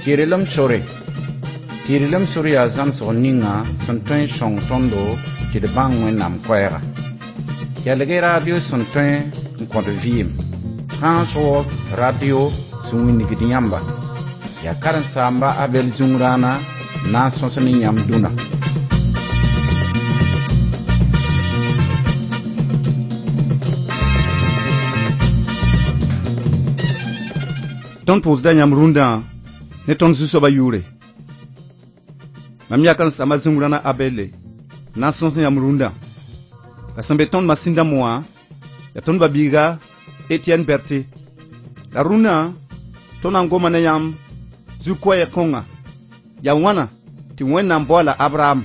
Tɩrlem sore. Tɩrlem sor yaa zãmsg ninga sẽn tõe n sõng tõndo tɩ d bãng Wẽnnaam koɛɛga. Kelg-y radio sẽn tõe n kõt vɩɩm. Trans World Radio sẽn wilgd yãmba. Yaa karen-saamba Abɛl Zũngrãana n na n sõs ne yãmb dũnna. Tõnd pʋʋsda yãmb rũndã ne tõnd Zu-soabã yʋʋre. Mam yaa karen-saamba Zũngrãna Abɛlle n na n sõs yãmb rũndã. La sẽn be tõnd masĩn dãmb wã yaa tõnd ba-biiga Etienne Berthe. La rũndã tõnd na n goma ne yãmb zu-koɛɛg kõnga. Yaa wãna tɩ Wẽnnaam baoola Abraham.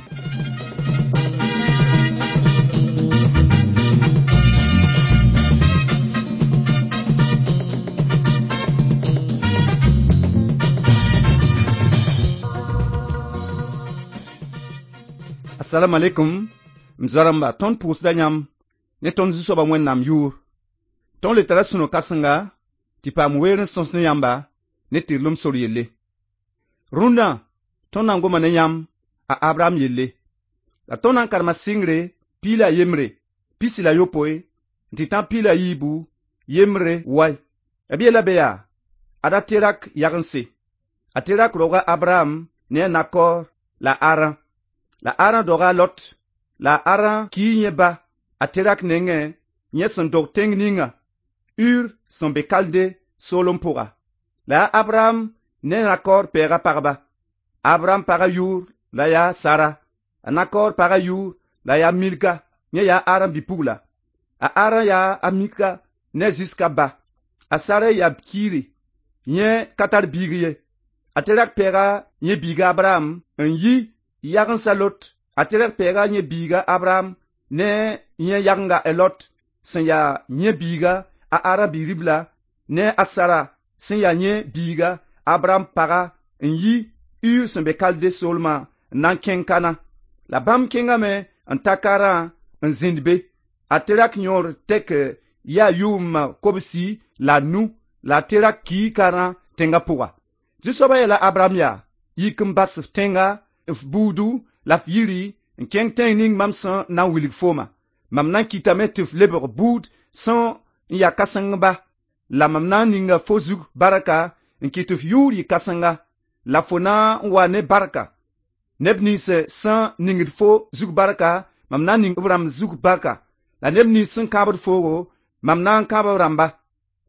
Assalamu alaikum m zoa-rãmba, tõnd pʋʋsda yãmb ne tõnd Zu-soabã Wẽnnaam yʋʋr. Tõnd le tara sũ-no-kãsenga tɩ paam weer n sõs ne yãmba ne tɩrlem sor yelle. Rũndã tõnd na n goma ne yãmb a Abraham yelle. La tõnd na n karema sɩngre 11, 28 n tɩ tã 14 yembre wai. B yeela be yaa ada Terak yagense. A Terak roga Abraham ne a Nakor la Aran. La Aran doga a Lot. La Aran kii yẽ ba a Terak nengẽ yẽ sẽn dog tẽng ninga Ur sẽn be Kalde soolem pʋga. La yaa Abraham ne Nakor pɛɛga pagba. Abraham pagã yʋʋr la yaa Sara. A Nakor pagã yʋʋr la yaa Milka, yẽ yaa Aran bi-pugla. A Aran yaa a Mika ne Ziska ba. A Sara yaa kiiri, yẽ ka tar biig ye. A Terak pɛɛga yẽ biiga Abraham n yi yagensã Lot. A Terak pɛɛga yẽ biiga Abraham ne yẽ yagenga a Lot sẽn yaa yẽ biiga a Aran bi-ribla ne a Sara sẽn yaa yẽ biiga Abraham paga n yi Ur sẽn be Kalde soolmã n na n kẽng Kana. La bãmb kẽngame n ta Karã n zĩnd be. A Terak yõor tɛk yaa 95 la a Terak kii Karã tẽngã pʋga. Zu-soabã yeela Abraham yaa: yik n bas f tẽnga, f buudu la f yiri n kẽng tẽng ning mam sẽn na n wilg fooma. Mam na n kɩtame tɩ f lebg buud sẽn n yaa kãsengba, la mam na n ninga fo zug barka n kɩt tɩ f yʋʋr yɩ kãsenga, la fo na n wa ne barka. Neb nins sẽn ningd fo zug barka, mam na n ning b rãmb zug barka, la neb nins sẽn kãabd foogo, mam na n kãab b rãmba.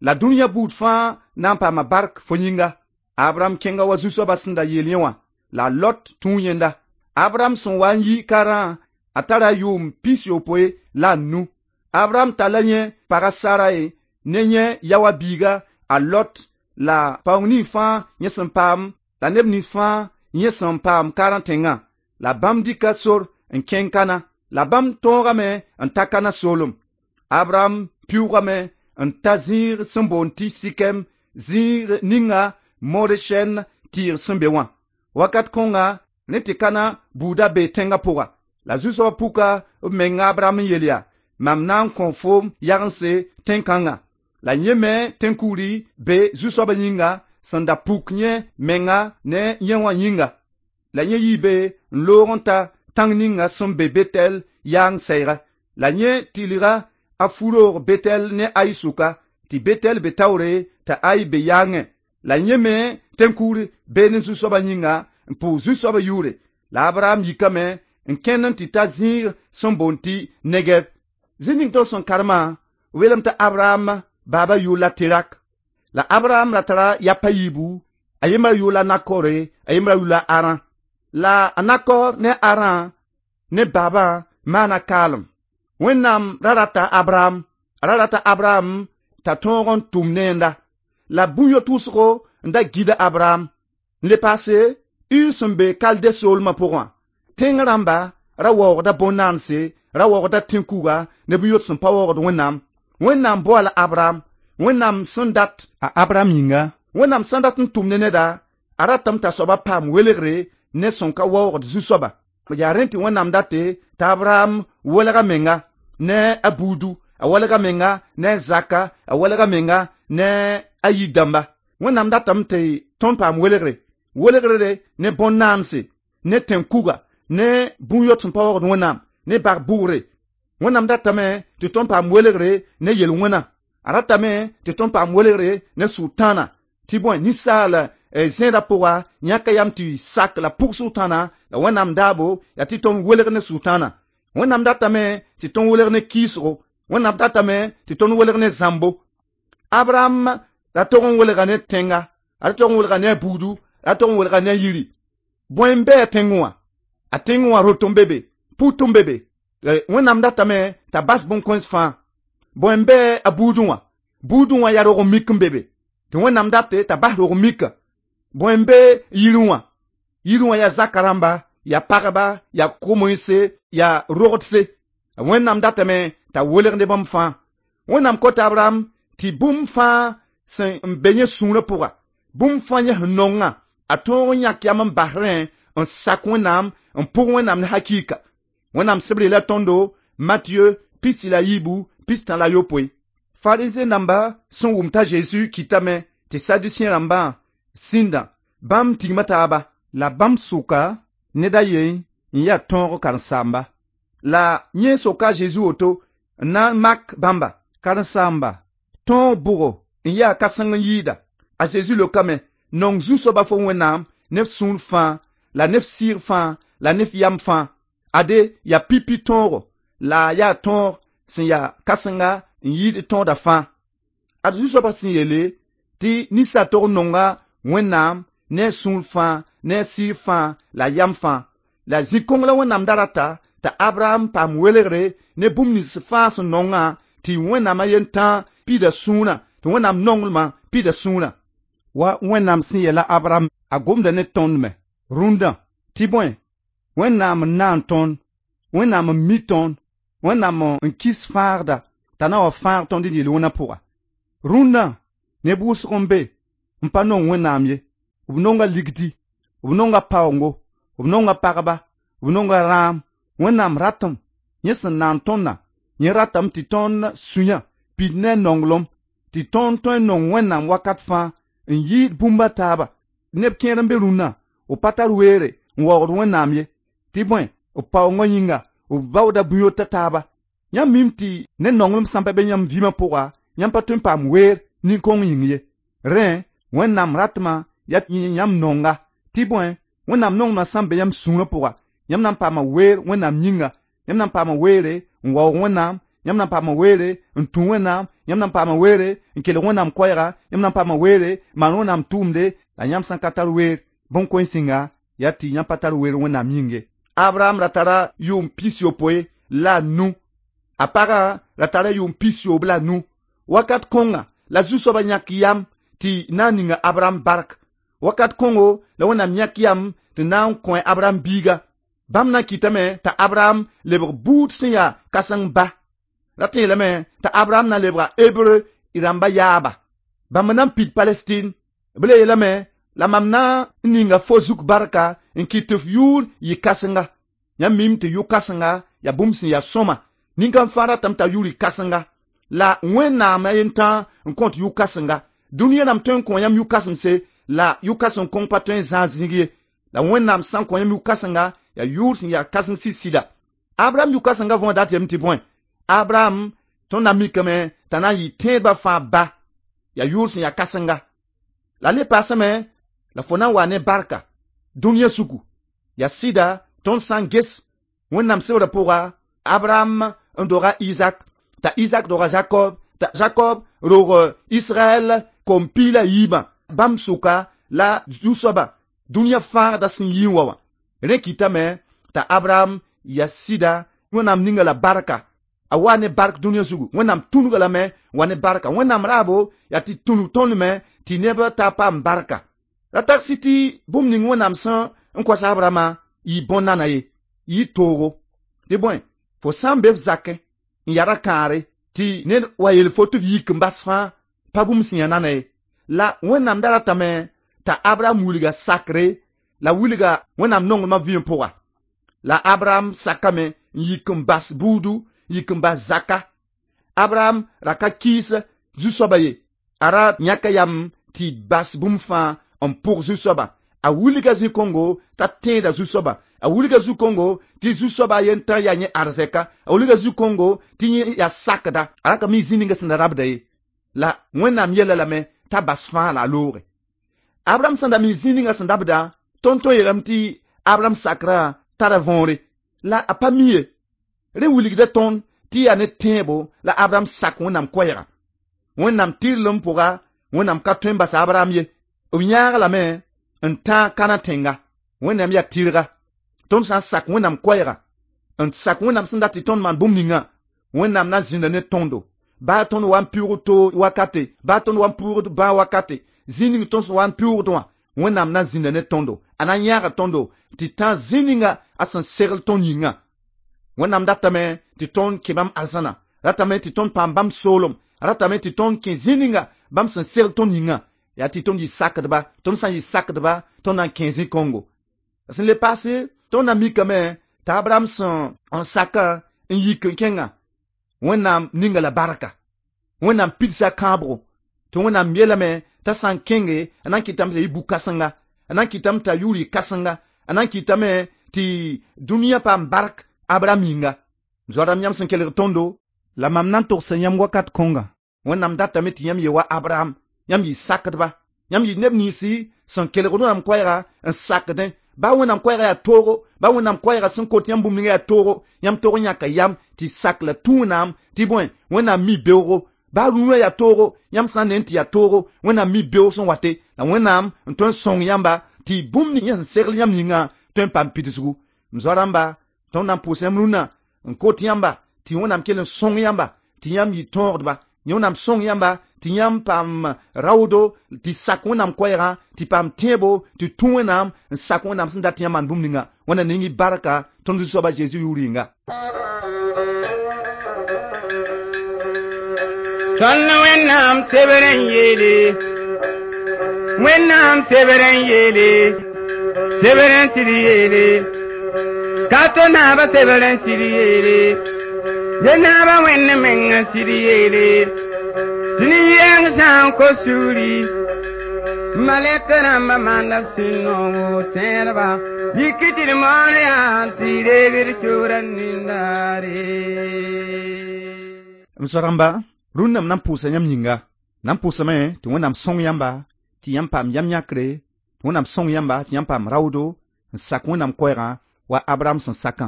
La dũniyã buud fãa na n paama bark fo yĩnga. Abraham kẽnga wa Zu-soabã sẽn da yeel yẽ wã, la Lot tũu yẽnda. Abraham sẽn wa n yi Karã, a tara 75. Abraham talla yẽ paga Sarai ne yẽ yaoã biiga a Lot la paoong ning fãa yẽ sẽn paam la neb nins fãa yẽ sẽn paam Karã tẽngã. La bãmb dɩka sor n kẽng Kana. La bãmb tõogame n ta Kana soolem. Abraham pɩʋʋgame n ta zĩig sẽn boond tɩ Sikem, zĩig ninga More sɛn tɩɩg sẽn be wã. Wakat kõnga rẽ tɩ Kana buudã bee tẽngã pʋga. La Zu-soabã puka b menga Abraham n yeel yaa: mam na n kõ foom yagense tẽn-kãngã. La yẽ me tẽn-kugri be Zu-soabã yĩnga sẽn da puk yẽ menga ne yẽ wã yĩnga. La yẽ yii be n loog n ta tãng ninga sẽn be Betel yaang sɛɛga. La yẽ tɩlga a fu-roog Betel ne Ai sʋka, tɩ Betel be taoore t'a Ai be yaangẽ. La yẽ me tẽn-kugr be ne Zu-soabã yĩnga n pʋʋs Zu-soabã yʋʋre. La Abraham yikame n kẽnd n tɩ ta zĩig sẽn boond tɩ Negeb. Zĩ ning tõnd sẽn karemã weelem t'a Abraham baaba yʋʋr la Terak. La Abraham ra tara yap a yiibu, a yembra yʋʋr la Nakore, a yembra yʋʋr la Aran. La a Nakor ne Aran ne baabã maana kaalem. Wẽnnaam ra rata Abraham, a ra rata Abraham t'a tõog n tʋm ne yẽnda. La bũn-yo-tʋʋsgo n da gida Abraham. N le paase Ur sẽn be Kalde soolmã pʋgã. Tẽng rãmba ra waoogda bõn-naanse, ra waoogda tẽn-kuga ne bũn-yot sẽn pa waoogd Wẽnnaam. Wẽnnaam boala Abraham, Wẽnnaam sẽn dat a Abraham yĩnga. Wẽnnaam sẽn dat n tʋm ne neda, a ratame t'a soabã paam welgre ne sẽn ka waoogd Zu-soabã. Yaa rẽ tɩ Wẽnnaam date t'a Abraham welg a menga ne a buudu, a welg a menga ne a zaka, a welg a menga ne a yir-dãmba. Wẽnnaam datame tɩ tõnd paam welgre. Welgre ne bõn-naanse, ne tẽn-kuga, ne bũn-yot sẽn pa waoogd Wẽnnaam, ne bag bʋgre. Wẽnnaam datame tɩ tõnd paam welgre ne yel-wẽna. A ratame tɩ tõnd paam welgre ne sʋtãana, tɩ bõe ninsaal zẽedã pʋga yãka yam tɩ sak la pʋg sʋtãana la Wẽnnaam daabo yaa tɩ tõnd welg ne sʋtãana. Wẽnnaam datame tɩ tõnd welg ne kɩɩsgo. Wẽnnaam datame tɩ tõnd welg ne zãmbo. Abraham ra tog n welga ne tẽnga, a ra tog n welga ne a buudu, a ra tog n welga ne a yiri. Bõe n bɩ a tẽngẽ wã? A tẽngẽ wã rot n be be, put n be be. Wẽnnaam datame t'a bas bõn-kõens fãa. Bõe n bɩ a buudẽ wã? Buudẽ wã yaa rog mik n be be. Tɩ Wẽnnaam date t'a bas rog mika. Bõe n be yirẽ wã? Yirẽ wã yaa zaka rãmba, yaa pagba, yaa ko-moense, yaa rogdse. Wẽnnaam datame t'a welg ne bãmb fãa. Wẽnnaam kota Abraham tɩ bũmb fãa sẽn n be yẽ sũurã pʋga, bũmb fãa yẽ sẽn nongã, a tõog n yãk yam n bas rẽ n sak Wẽnnaam n pʋg Wẽnnaam ne hakɩɩka. Wẽnnaam sebr yeela tõndo Mathieu 23. Farizẽ namba sẽn wʋm t'a Zeezi kɩtame tɩ Sadusẽ rãmbã sĩndã, bãmb tigma taaba, la bãmb sʋka ned a yen n yaa tõog karen-saamba. La yẽ soka a Zeezi woto n na n mak bãmba. Karen-saamba, tõog bʋgo n yaa kãseng n yɩɩda? A Zeezi leokame, nong zu-soaba fo Wẽnnaam ne f sũur fãa, la ne f sɩɩg fãa, la ne f yam fãa. Ade yaa pipi tõogo, la yaa tõog sẽn yaa kãsenga n yɩɩd tõoda fãa. Ad zu-soabã sẽn yeele tɩ ninsaal tog n nonga Wẽnnaam ne a sũur fãa, ne a sɩɩg fãa, la yam fãa. La zĩ-kõng la Wẽnnaam da rata t'a Abraham paam welgre ne bũmb nins fãa sẽn nongã tɩ Wẽnnaam a yen tã pida sũurã, tɩ Wẽnnaam nonglmã pida sũurã. Wa Wẽnnaam sẽn yeela Abraham a gomda ne tõnd me rũndã tɩ bõe Wẽnnaam n naan tõnd, Wẽnnaam n mi tõnd, Wẽnnaam n kis fãagda t'a na wa fãag tõnd d yel-wẽnã pʋga. Rũndã neb wʋsg n be n pa nong Wẽnnaam ye. B nonga ligdi, b nonga paoongo, b nonga pagba, b nonga rãam. Wẽnnaam ratame yẽ sẽn naan tõndã, yẽ ratame tɩ tõnd sũyã pid ne a nonglem, tɩ tõnd tõe n nong Wẽnnaam wakat fãa n yɩɩd bũmb a taaba. Neb kẽer n be rũnnã, b pa tar weere n waoogd Wẽnnaam ye, tɩ bõe b paoongã yĩnga, b baooda bũn-yota taaba. Yãmb mim tɩ ne nonglem sã n pa be yãmb vɩɩmã pʋga, yãmb pa tõe n paam weer nin-kõng yĩng ye. Rẽ, Wẽnnaam ratmã yaa yãmb nonga, tɩ bõe Wẽnnaam nonglmã sã n be yãmb sũurã pʋga, yãmb na n paama weer Wẽnnaam yĩnga, yãmb na n paama weere n waoog Wẽnnaam, yãmb na n paama weere n tũ Wẽnnaam, yãmb na n paama weere n kelg Wẽnnaam koɛɛga, yãmb na n paama weere n maan Wẽnnaam tʋʋmde, la yãmb sã n ka tar weer bõn-kõens yĩnga, yaa tɩ yãmb pa tar weer Wẽnnaam yĩng ye. Abraham ra tara yʋʋm 95, a pagã ra tara yʋʋm 95. Wakat kõnga la zu-soabã yãk yam tɩ na n ninga Abraham bark. Wakat kõngo la Wẽnnaam yãk yam tɩ na n kõ Abraham biiga. Bãmb na n kɩtame t'a Abraham lebg buud sẽn yaa kãseng ba. Rat n yeelame t'a Abraham na lebga Hebreu rãmba yaaba. Bãmb na n pid Palestine. B le yeelame la mam na n ninga fo zug barka n kɩt tɩ f yʋʋr yɩ kãsenga. Yãmb mim tɩ yʋ-kãsenga yaa bũmb sẽn yaa sõma. Nin-kãng fãa ratame t'a yʋʋr yɩ kãsenga. La Wẽnnaam a yen tã n kõt yʋ-kãsenga. Dũniyã rãmb tõe n kõ yãmb yʋ-kãsemse, la yʋ-kãsem kõng pa tõe n zãag zĩig ye. La Wẽnnaam sã n kõ yãmb yʋ-kãsenga, yaa yʋʋr sẽn yaa kãseng sɩd-sɩda. Abraham yʋ-kãsengã võor dat yem tɩ bõe? Abraham tõnd na mikame t'a na n yɩ tẽedbã fãa ba, yaa yʋʋr sẽn yaa kãsenga. La le paasame la fo na n wa ne barka dũniyã suku. Yaa sɩda tõnd sã n ges Wẽnnaam sebrã pʋga, Abraham n doga Isaac, t'a Isaac doga Jacob, t'a Jacob rog Israɛl kom piig la yiibã. Bãmb sʋka la zu-soabã dũniyã fãagda sẽn yi n wa wã. Rẽ kɩtame t'a Abraham yaa sɩda Wẽnnaam ninga la barka. A wa ne bark dũniyã zugu. Wẽnnaam tũnuga lame n wa ne barka. Wẽnnaam raabo yaa tɩ tũnug tõnd me tɩ neb ta paam barka. Ra tagsɩ tɩ bũmb ning Wẽnnaam sẽn n kos Abrahama yɩ bõn-nana ye, yɩ toogo. Tɩ bõe, fo sã n be f zakẽ n yaa ra-kãare tɩ ned wa yeel fo tɩ f yik n bas fãa pa bũmb sẽn yaa nana ye. La Wẽnnaam da ratame t'a Abraham wilga sakre la wilga Wẽnnaam nonglmã vɩɩm pʋga. La Abraham sakame n yik n bas buudu, n yik n bas zaka. Abraham ra ka kɩɩs zu-soabã ye. A ra yãka yam tɩ bas bũmb fãa n pʋg zu-soabã. A wilga zĩ-kõngo t'a tẽeda zu-soaba, a wilga zu-kõngo tɩ zu-soaba yentã yaa yẽ arzɛka, a wilga zu-kõngo tɩ yẽ yaa sakda, a ra ka mi zĩ ninga sẽn da rabda ye. La Wẽnnaam yella lame t'a bas fãa la a looge. Abraham sẽn da mi zĩ ninga sẽn dabda, tõnd tõe n yeelame tɩ Abraham sakrã tara võore, la a pa mi ye. Rẽ wilgda tõnd tɩ yaa ne tẽebo la Abraham sak Wẽnnaam koɛɛga. Wẽnnaam tɩrlem pʋga, Wẽnnaam ka tõe n bas Abraham ye. B yãag lame n tãag Kãnã tẽnga. Wẽnnaam yaa tɩrga. Tõnd sã n sak Wẽnnaam koɛɛga, n sak Wẽnnaam sẽn dat tɩ tõnd maan bũmb ninga, Wẽnnaam na zĩnda ne tõndo. Baa tõnd wa n pɩʋʋg to wakate, baa tõnd wa n pʋʋgd bãag wakate, zĩ ning tõnd sẽn wa n pɩʋʋgd wã, Wẽnnaam na zĩnda ne tõndo. A na n yãaga tõndo tɩ tã zĩ ninga a sẽn segl tõnd yĩngã. Wẽnnaam datame tɩ tõnd kẽ bãmb arzãna, ratame tɩ tõnd paam bãmb soolem, ratame tɩ tõnd kẽ zĩ ninga bãmb sẽn segl tõnd yĩngã. Yaa tɩ tõnd yɩ sakdba, tõnd sã n yɩ sakdba, tõnd na n kẽ zĩ-kõngo. Sẽn le paase, tõnd na mikame t'a Abraham sẽn n sakã n yik n kẽngã, Wẽnnaam ninga la barka. Wẽnnaam pidsa kãabgo. Tɩ Wẽnnaam yeelame t'a sã n kẽnge, a na n kɩtame t'a yɩ bu-kãsenga, a na n kɩtame t'a yʋʋr yɩ kãsenga, a na n kɩtame tɩ dũniyã paam bark Abraham yĩnga. Zoa-rãmb yãmb sẽn kelg tõndo, la mam na n togsa yãmb wakat kõnga. Wẽnnaam datame tɩ yãmb yɩ wa Abraham, yãmb yɩ sakdba, yãmb yɩ neb ninsi sẽn kelgd Wẽnnaam koɛɛga n sakdẽ. Baa Wẽnnaam koɛɛga yaa toogo, baa Wẽnnaam koɛɛga sẽn kot yãmb bũmb ninga yaa toogo, yãmb tog n yãka yam tɩ sak la tũ Wẽnnaam tɩ bõe, Wẽnnaam mi beoogo. Baa rũnã yaa toogo, yãmb sã n ne n tɩ yaa toogo, Wẽnnaam mi beoog sẽn wate, la Wẽnnaam n tõe n sõng yãmba tɩ bũmb ning yẽ sẽn segl yãmb yĩngã tõe n paam pidsgu. M zoa-rãmba, tõnd na n pʋʋs yãmb rũnnã n kot yãmba tɩ Wẽnnaam kell n sõng yãmba tɩ yãmb yɩ tõogdba. Wẽnnaam sõng yãmba tɩ yãmb paam raoodo, tɩ sak Wẽnnaam koɛɛgã, tɩ paam tẽebo, tɩ tũ Wẽnnaam n sak Wẽnnaam sẽn dat tɩ yãmb maan bũmb ninga. Wẽnnaam ning y barka tõnd Zu-soaba Zeezi yʋʋr yĩnga. Tõnd Wẽnnaam sebr n yeele, Wẽnnaam sebr n yeele, sebr n sɩd yeele, ka to naaba sebr n sɩd yeele, ye naaba Wẽnd meng n sɩd yeele, tɩ nin-yɛng sã n kos sugri, malɛk rãmbã maanda b sẽn noog tẽedba, yik tɩ d moon yaa tɩ reeg d sʋʋra nindaare. M zoa-rãmba, rũnnã m na n pʋʋsa yãmb yĩnga. Na n pʋʋsame tɩ Wẽnnaam sõng yãmba tɩ yãmb paam yam yãkre, tɩ Wẽnnaam sõng yãmba tɩ yãmb paam raoodo n sak Wẽnnaam koɛɛgã wa Abraham sẽn sakã.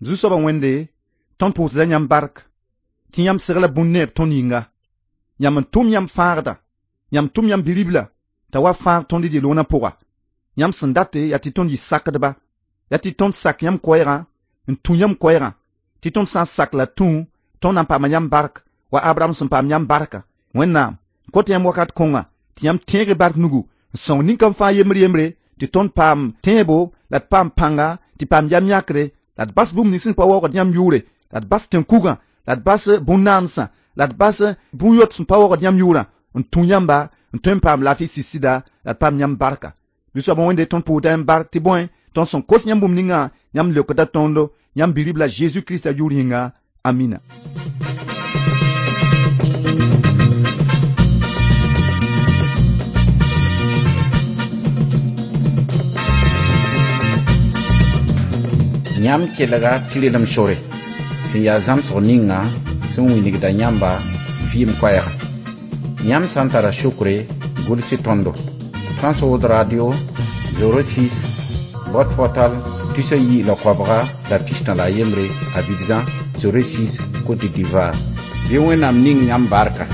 Zu-soabã Wẽnde, tõnd pʋʋsda yãmb bark tɩ yãmb segla bũn-neeb tõnd yĩnga. Yãmb n tʋm yãmb fãagda, yãmb tʋm yãmb bi-ribla t'a wa fãag tõnd d yel-wẽnã pʋga. Yãmb sẽn date yaa tɩ tõnd yɩ sakdba, yaa tɩ tõnd sak yãmb koɛɛgã n tũ yãmb koɛɛgã, tɩ tõnd sã n sak la tũ, tõnd na n paama yãmb bark wa Abraham sẽn paam yãmb barka. Wẽnnaam kõt yãmb wakat kõnga tɩ yãmb tẽeg bark nugu n sõng nin-kam fãa yembre yembre tɩ tõnd paam tẽebo la d paam pãnga tɩ paam yam yãkre, la d bas bũmb nins sẽn pa waoogd yãmb yʋʋre, la d bas tẽn-kugã, la d bas bũn-naansã, la d bas bũn-yot sẽn pa waoogd yãmb yʋʋrã n tũ yãmba n tõe n paam laafɩ sɩd-sɩda, la d paam yãmb barka. Zu-soabã Wẽnde tõnd pʋʋsda yãmb bark tɩ bõe, tõnd sẽn kos yãmb bũmb ningã, yãmb leokda tõndo, yãmb bi-ribla Zeezi Kirista yʋʋr yĩnga. Amina. Yãmb kelga tɩrlem sore sẽn yaa zãmsg ninga sẽn wilgda yãmba vɩɩm koɛɛga. Yãmb sã n tara sukre, gʋls tõndo. Trans World Radio 06 boîte postale 219 Abidjan 06 Côte d'Ivoire. Bɩ Wẽnnaam ning yãmb barka.